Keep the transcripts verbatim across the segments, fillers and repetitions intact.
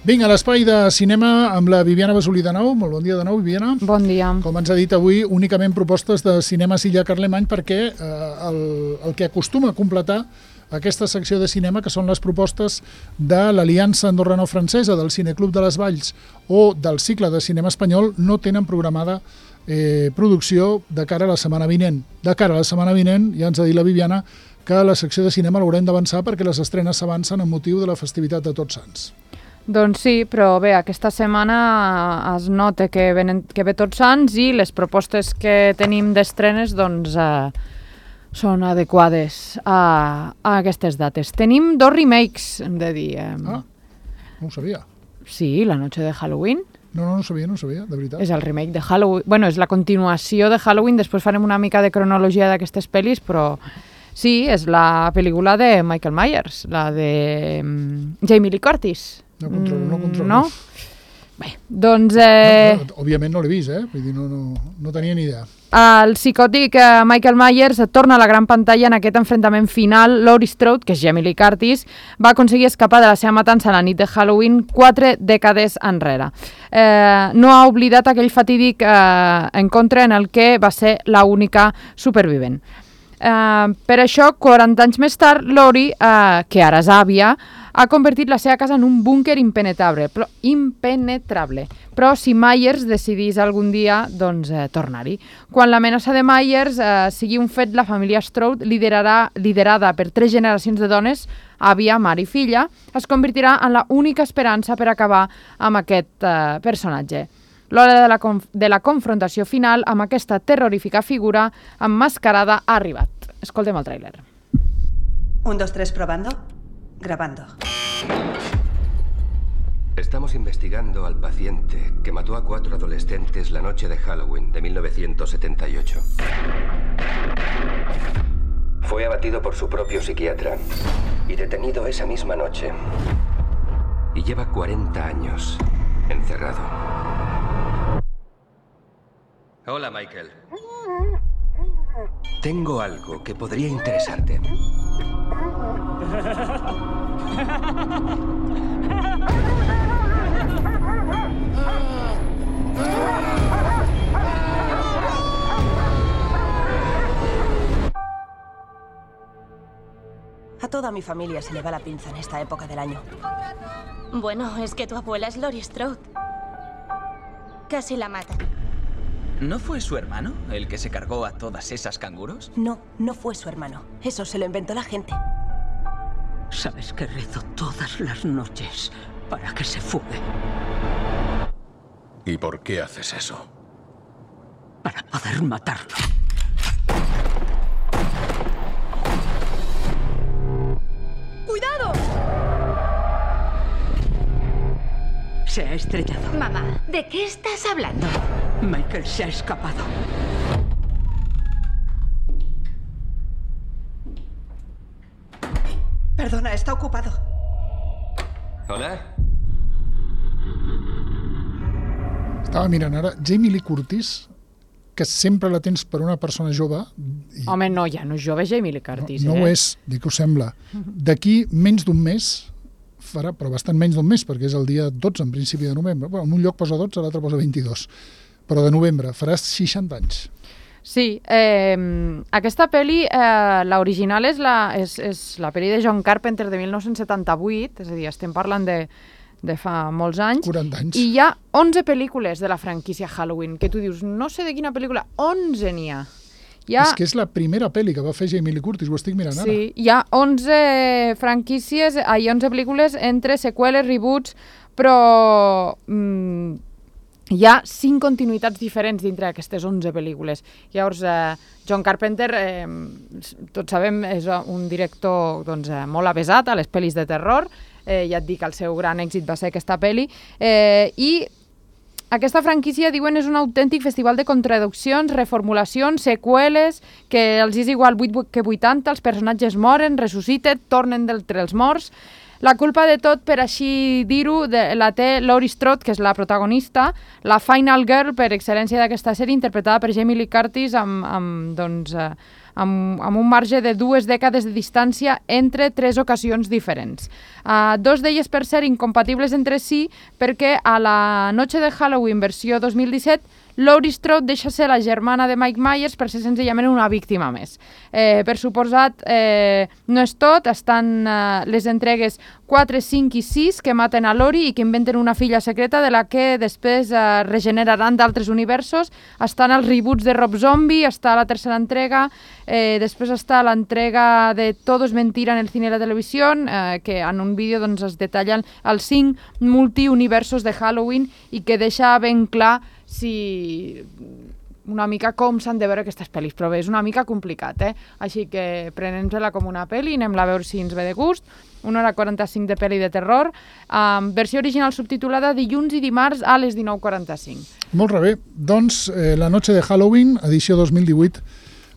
Vinga, l'espai de cinema amb la Viviana Basolí de nou. Molt bon dia de nou, Viviana. Bon dia. Com ens ha dit avui, únicament propostes de cinema Silla Carlemany perquè eh, el, el que acostuma a completar aquesta secció de cinema, que són les propostes de l'Aliança Andorrano-Francesa, del Cineclub de les Valls o del cicle de cinema espanyol, no tenen programada eh, producció de cara a la setmana vinent. De cara a la setmana vinent, ja ens ha dit la Viviana, que la secció de cinema l'haurem d'avançar perquè les estrenes s'avancen amb motiu de la festivitat de Tots Sants. Doncs sí, però bé, aquesta setmana es nota que, venen, que ve Tots Sants i les propostes que tenim d'estrenes doncs, eh, són adequades a, a aquestes dates. Tenim dos remakes, hem de dir. Eh. Ah, no ho sabia. Sí, La noche de Halloween. No, no, no ho sabia, no ho sabia, de veritat. És el remake de Halloween. Bueno, és la continuació de Halloween, després farem una mica de cronologia d'aquestes pel·lis, però sí, és la pel·lícula de Michael Myers, la de um, Jamie Lee Curtis. No controlo, no controlo. No? Bé, doncs... Eh... No, no, òbviament no l'he vist, eh? Vull dir, no, no, no tenia ni idea. El psicòtic eh, Michael Myers torna a la gran pantalla en aquest enfrontament final. Laurie Strode, que és Jamie Lee Curtis, va aconseguir escapar de la seva matança a la nit de Halloween quatre dècades enrere. Eh, no ha oblidat aquell fatídic eh, encontre en el que va ser l'única supervivent. Uh, per això, quaranta anys més tard, Laurie, uh, que ara és àvia, ha convertit la seva casa en un búnquer impenetrable, però impenetrable. Però si Myers decidís algun dia, doncs, eh, tornar-hi. Quan l'amenaça de Myers eh, sigui un fet, la família Strode, liderarà, liderada per tres generacions de dones, àvia, mare i filla, es convertirà en la única esperança per acabar amb aquest eh, personatge. L'hora de la, conf de la confrontació final amb aquesta terrorífica figura emmascarada ha arribat. Escoltem el tràiler. Un, dos, tres, probando. Grabando. Estamos investigando al paciente que mató a cuatro adolescentes la noche de Halloween de mil novecientos setenta y ocho. Fue abatido por su propio psiquiatra y detenido esa misma noche. Y lleva cuarenta años encerrado. Hola, Michael. Tengo algo que podría interesarte. A toda mi familia se le va la pinza en esta época del año. Bueno, es que tu abuela es Laurie Strode. Casi la matan. ¿No fue su hermano el que se cargó a todas esas canguros? No, no fue su hermano. Eso se lo inventó la gente. Sabes que rezo todas las noches para que se fugue. ¿Y por qué haces eso? Para poder matarlo. ¡Cuidado! Se ha estrellado. Mamá, ¿de qué estás hablando? Michael se ha escapado. Perdona, está ocupado. Hola. Estava mirant ara, Jamie Lee Curtis, que sempre la tens per una persona jove. I Home, no, ja no és jove Jamie Lee Curtis, no, no eh? ho és, dic que ho sembla. D'aquí menys d'un mes, farà, però bastant menys d'un mes, perquè és el dia dotze, en principi de novembre. Bueno, en un lloc posa dotze, a l'altre posa vint-i-dos. Però de novembre, faràs seixanta anys. Sí, eh, aquesta pel·li, eh, l'original és la, és, és la pel·li de John Carpenter de mil nou-cents setanta-vuit, és a dir, estem parlant de, de fa molts anys. quaranta anys. I hi ha onze pel·lícules de la franquícia Halloween, que tu dius, no sé de quina pel·lícula, onze n'hi ha. Hi ha... És que és la primera pel·li que va fer Jamie Lee Curtis, ho estic mirant ara. Sí, hi ha onze franquícies, hi ha onze pel·lícules entre seqüeles, reboots, però mm, hi ha cinc continuïtats diferents dintre d'aquestes onze pel·lícules. Llavors, eh, John Carpenter, eh, tots sabem, és un director doncs, eh, molt avesat a les pel·lis de terror. Eh, ja et dic, el seu gran èxit va ser aquesta pel·li. Eh, I aquesta franquícia, diuen, és un autèntic festival de contradiccions, reformulacions, seqüeles, que els és igual vuit que vuitanta, els personatges moren, ressusciten, tornen d'entre els morts. La culpa de tot, per així dir-ho, la té Laurie Strode, que és la protagonista, la Final Girl per excel·lència d'aquesta sèrie, interpretada per Jamie Lee Curtis amb, amb, doncs, amb, amb un marge de dues dècades de distància entre tres ocasions diferents. Uh, dos d'elles, per ser incompatibles entre si, perquè a la Noche de Halloween versió dos mil disset Laurie Strode deixa ser la germana de Mike Myers per ser senzillament una víctima més. Eh, per suposat, eh, no és tot, estan eh, les entregues quatre, cinc i sis que maten a Laurie i que inventen una filla secreta de la que després eh, regeneraran d'altres universos. Estan els reboots de Rob Zombie, està la tercera entrega, eh, després està l'entrega de Todo es mentira en el cine i la televisió, eh, que en un vídeo doncs, es detallen els cinc multiuniversos de Halloween i que deixa ben clar si una mica com s'han de veure aquestes pel·lis, però bé, és una mica complicat, eh? Així que prenem-la com una pel·li, anem a veure si ens ve de gust. una hora quaranta-cinc de pel·li de terror, amb versió original subtitulada dilluns i dimarts a les dinou quaranta-cinc. Molt bé, doncs eh, La noche de Halloween, edició dos mil divuit,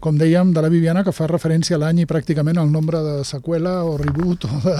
com dèiem, de la Viviana, que fa referència a l'any i pràcticament al nombre de seqüela o reboot o, de,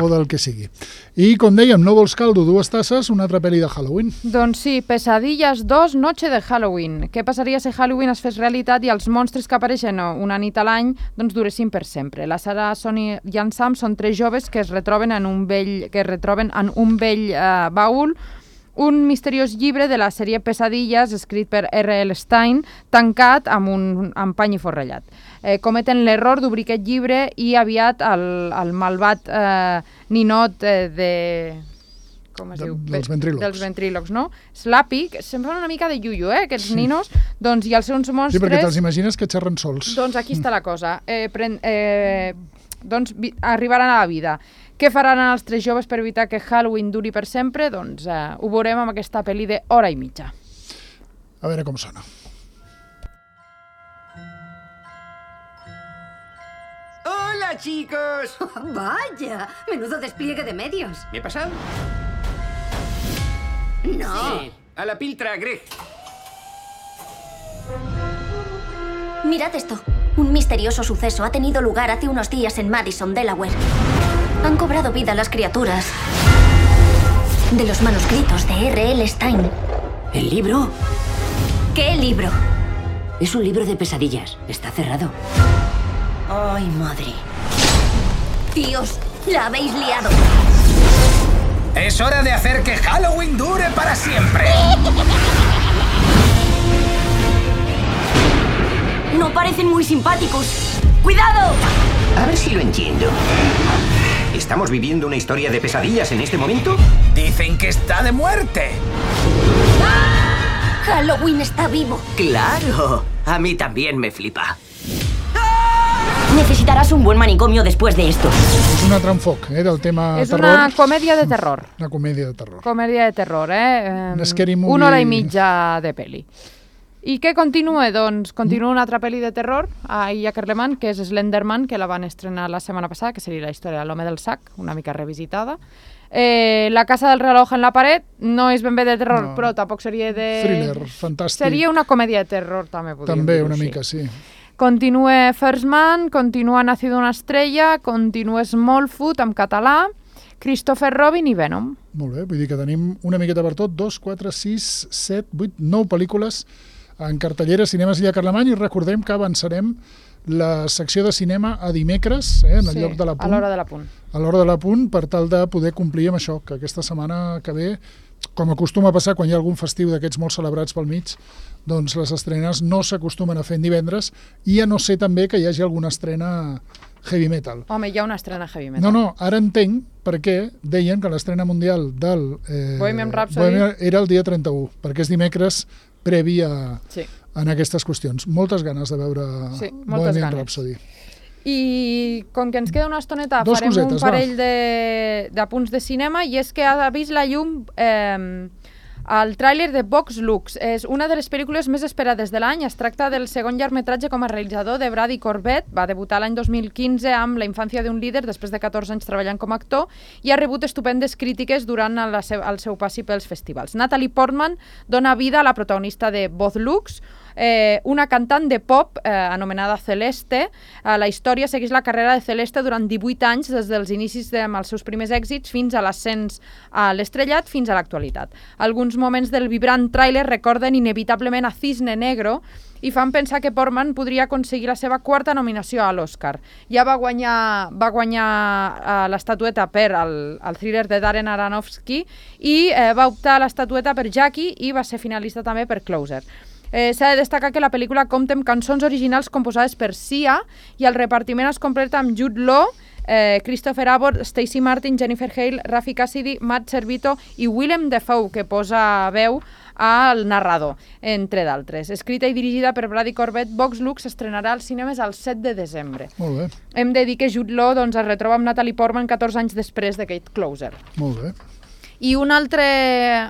o del que sigui. I, com dèiem, No vols caldo, dues tasses, una altra pel·li de Halloween. Doncs sí, Pesadillas dos, Noche de Halloween. Què passaria si Halloween es fes realitat i els monstres que apareixen una nit a l'any doncs duressin per sempre? La Sarah, Sonny i en Sam són tres joves que es retroben en un vell, que es retroben en un vell eh, baúl, un misteriós llibre de la sèrie Pesadillas, escrit per erre ele Stein, tancat amb un amb pany i forrellat. Eh, cometen l'error d'obrir aquest llibre i aviat el, el malvat eh, ninot eh, de... com es de, diu? Dels ventrílocs. Dels ventrílocs, no? Slappy, que sembla una mica de yuyu, eh, aquests sí. ninos, doncs, i els seus monstres... Sí, perquè te'ls imagines que xerren sols. Doncs aquí està la cosa. Eh, pren, eh, doncs vi, arribaran a la vida. Què faran els tres joves per evitar que Halloween duri per sempre? Doncs eh, ho veurem amb aquesta pel·li de hora i mitja. A veure com sona. ¡Hola, chicos! Vaya, menudo despliegue de medios. ¿Me he pasado? No. Sí, a la piltra, Greg. Mirad esto. Un misterioso suceso ha tenido lugar hace unos días en Madison, Delaware. Han cobrado vida las criaturas de los manuscritos de erre ele Stein. ¿El libro? ¿Qué libro? Es un libro de pesadillas. Está cerrado. ¡Ay, madre! Tíos, la habéis liado. Es hora de hacer que Halloween dure para siempre. No parecen muy simpáticos. ¡Cuidado! A ver si lo entiendo. ¿Estamos viviendo una historia de pesadillas en este momento? Dicen que está de muerte. ¡Ah! Halloween está vivo. ¡Claro! A mí también me flipa. Necesitarás un buen manicomio después de esto. És un altre enfoc, eh, del tema és terror. És una comèdia de terror. Una comèdia de terror. Comèdia de terror, eh? Un scary movie. Una hora i mitja de pel·li. I què continua? Doncs continua una altra pel·li de terror a Illa Carlemany, que és Slenderman, que la van estrenar la setmana passada, que seria la història de l'home del sac, una mica revisitada. Eh, la casa del reloj en la paret no és ben bé de terror, no. Però tampoc seria de... Thriller, fantàstic. Seria una comèdia de terror, també podríem També, dir-ho, una sí. mica, sí. Continua First Man, continua Nacido una estrella, continua Smallfoot en català, Christopher Robin i Venom. Molt bé, vull dir que tenim una miqueta per tot, dos, quatre, sis, set, vuit, nou pel·lícules en cartellera Cinemes Illa Carlemany, i recordem que avançarem la secció de cinema a dimecres, eh, en el sí, lloc de la punt. a l'hora de la punt. A l'hora de la punt, per tal de poder complir amb això, que aquesta setmana que ve, com acostuma a passar quan hi ha algun festiu d'aquests molt celebrats pel mig, doncs les estrenes no s'acostumen a fer en divendres, i a no ser també que hi hagi alguna estrena heavy metal. Home, hi ha una estrena heavy metal. No, no, ara entenc perquè deien que l'estrena mundial del eh, Bohemian Rhapsody Bohemian era el dia trenta-u, perquè és dimecres previ a, sí. en aquestes qüestions. Moltes ganes de veure sí, Bohemian Rhapsody. I com que ens queda una estoneta, Dos farem cosetes, un parell de, de punts de cinema, i és que ha vist la llum eh, el tràiler de Vox Lux. És una de les pel·lícules més esperades de l'any. Es tracta del segon llargmetratge com a realitzador de Brady Corbett. Va debutar l'any dos mil quinze amb La infància d'un líder, després de catorze anys treballant com a actor, i ha rebut estupendes crítiques durant la seu, el seu passi pels festivals. Natalie Portman dona vida a la protagonista de Vox Lux, eh, una cantant de pop eh, anomenada Celeste. Eh, la història segueix la carrera de Celeste durant divuit anys, des dels inicis de, amb els seus primers èxits fins a l'ascens a l'estrellat fins a l'actualitat. Alguns moments del vibrant tràiler recorden inevitablement a Cisne Negro i fan pensar que Portman podria aconseguir la seva quarta nominació a l'Oscar. Ja va guanyar, va guanyar uh, l'estatueta per el, el thriller de Darren Aronofsky i eh, va optar a l'estatueta per Jackie i va ser finalista també per Closer. Eh, S'ha de destacar que la pel·lícula compta amb cançons originals composades per Sia i el repartiment es completa amb Jude Law, eh, Christopher Abbott, Stacey Martin, Jennifer Hale, Rafi Cassidy, Matt Servito i Willem Dafoe, que posa veu al narrador, entre d'altres. Escrita i dirigida per Brady Corbett, Vox Lux s'estrenarà als cinemes el set de desembre. Molt bé. Hem de dir que Jude Law doncs, es retroba amb Natalie Portman catorze anys després de Kate Closer. Molt bé. I un altre,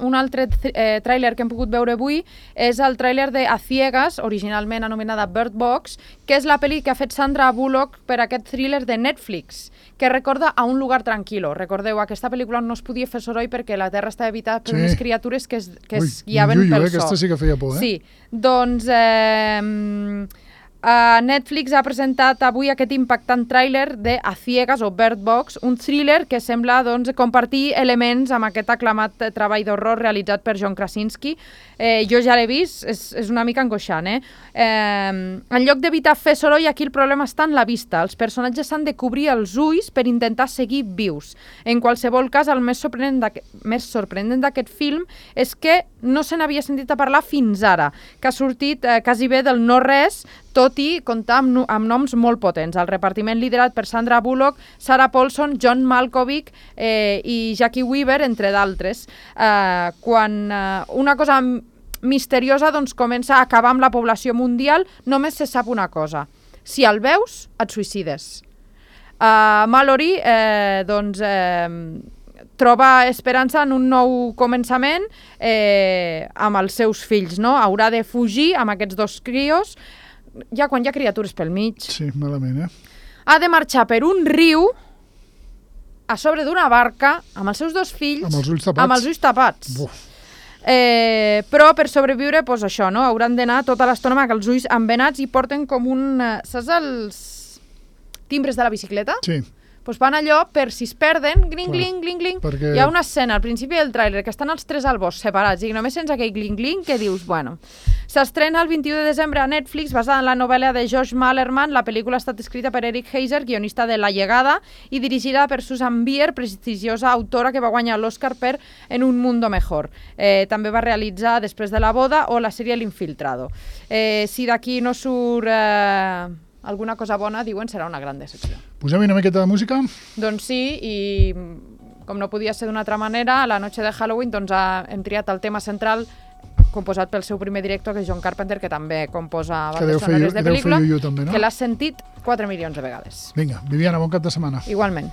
un altre eh, tràiler que hem pogut veure avui és el tràiler de A Ciegas, originalment anomenada Bird Box, que és la pel·li que ha fet Sandra Bullock per aquest thriller de Netflix, que recorda A un lugar tranquilo. Recordeu, aquesta pel·lícula no es podia fer soroll perquè la Terra estava habitada per sí. unes criatures que es, que es Ui, guiaven ui, pel eh? so. Aquesta sí que feia por, eh? Sí, doncs... Eh, Uh, Netflix ha presentat avui aquest impactant tràiler de A Ciegas o Bird Box, un thriller que sembla doncs, compartir elements amb aquest aclamat treball d'horror realitzat per John Krasinski. Eh, jo ja l'he vist, és, és una mica angoixant. Eh? Eh, en lloc d'evitar fer soroll, aquí el problema està en la vista. Els personatges s'han de cobrir els ulls per intentar seguir vius. En qualsevol cas, el més sorprenent més sorprenent d'aquest film és que no se n'havia sentit a parlar fins ara, que ha sortit eh, quasi bé del no-res, tot i comptar amb, amb noms molt potents. El repartiment liderat per Sandra Bullock, Sarah Paulson, John Malkovich eh, i Jackie Weaver, entre d'altres. Eh, quan eh, una cosa misteriosa doncs, comença a acabar amb la població mundial, només se sap una cosa. Si el veus, et suïcides. Uh, Mallory eh, doncs, eh, troba esperança en un nou començament eh, amb els seus fills. No? Haurà de fugir amb aquests dos crios, ja quan hi ha criatures pel mig. Sí, malament, eh? Ha de marxar per un riu a sobre d'una barca amb els seus dos fills amb els ulls tapats, amb els ulls tapats. Eh, però per sobreviure, doncs això, no? Hauran d'anar tota l'estona amb els ulls embenats i porten com un... Saps els timbres de la bicicleta? Sí. Doncs van allò per si es perden, gling, gling, gling, gling. Perquè... Hi ha una escena al principi del tràiler que estan els tres al bosc separats i només sents aquell gling, gling que dius, bueno... S'estrena el vint-i-u de desembre a Netflix basada en la novel·la de Josh Malerman. La pel·lícula ha estat escrita per Eric Heiser, guionista de La Llegada, i dirigida per Susan Bier, prestigiosa autora que va guanyar l'Oscar per En un mundo mejor. Eh, també va realitzar Després de la boda o la sèrie L'Infiltrado. Eh, si d'aquí no surt... Eh... alguna cosa bona, diuen, serà una gran decepció. Posem una miqueta de música? Doncs sí, i com no podia ser d'una altra manera, a la noche de Halloween doncs, hem triat el tema central composat pel seu primer director, que és John Carpenter, que també composa bandes sonores de pel·lícula, també, no? que l'has sentit quatre milions de vegades. Vinga, Viviana, bon cap de setmana. Igualment.